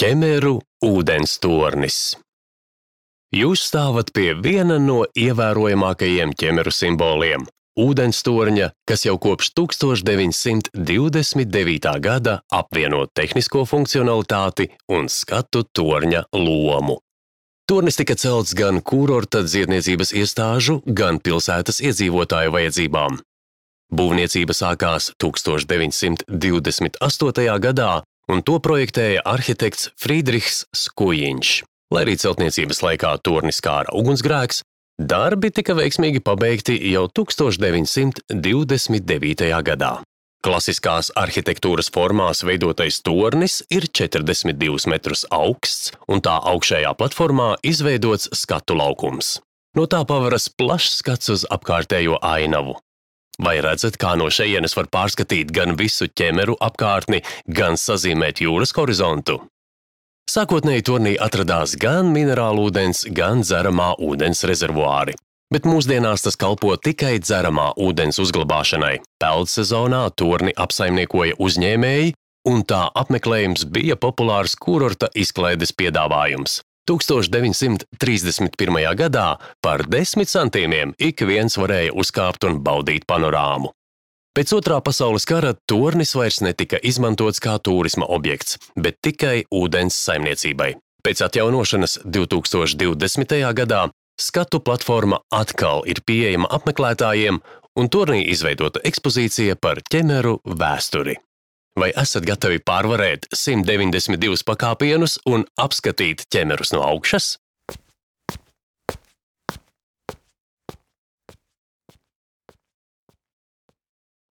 Ķemeru ūdenstornis. Jūs stāvat pie viena no ievērojamākajiem ķemeru simboliem – ūdenstorņa, kas jau kopš 1929. gada apvieno tehnisko funkcionalitāti un skatu torņa lomu. Tornis tika celts gan kurorta dziedniecības iestāžu, gan pilsētas iedzīvotāju vajadzībām. Būvniecība sākās 1928. gadā, un to projektēja arhitekts Friedrichs Skujiņš. Lai arī celtniecības laikā torni skāra ugunsgrēks, darbi tika veiksmīgi pabeigti jau 1929. gadā. Klasiskās arhitektūras formās veidotais tornis ir 42 metrus augsts, un tā augšējā platformā izveidots skatu laukums. No tā pavaras plašs skats uz apkārtējo ainavu. Vai redzat, kā no šejienes var pārskatīt gan visu ķemeru apkārtni, gan sazīmēt jūras horizontu? Sākotnēji tornī atradās gan minerālūdens, gan dzeramā ūdens rezervuāri. Bet mūsdienās tas kalpo tikai dzeramā ūdens uzglabāšanai. Peldsezonā torni apsaimniekoja uzņēmēji, un tā apmeklējums bija populārs kurorta izklaides piedāvājums. 1931. gadā par 10 centīmiem ik viens varēja uzkāpt un baudīt panorāmu. Pēc Otrā pasaules kara tornis vairs netika izmantots kā tūrisma objekts, bet tikai ūdens saimniecībai. Pēc atjaunošanas 2020. gadā skatu platforma atkal ir pieejama apmeklētājiem, un tornī izveidota ekspozīcija par ķemeru vēsturi. Vai esat gatavi pārvarēt 192 pakāpienus un apskatīt ķemerus no augšas?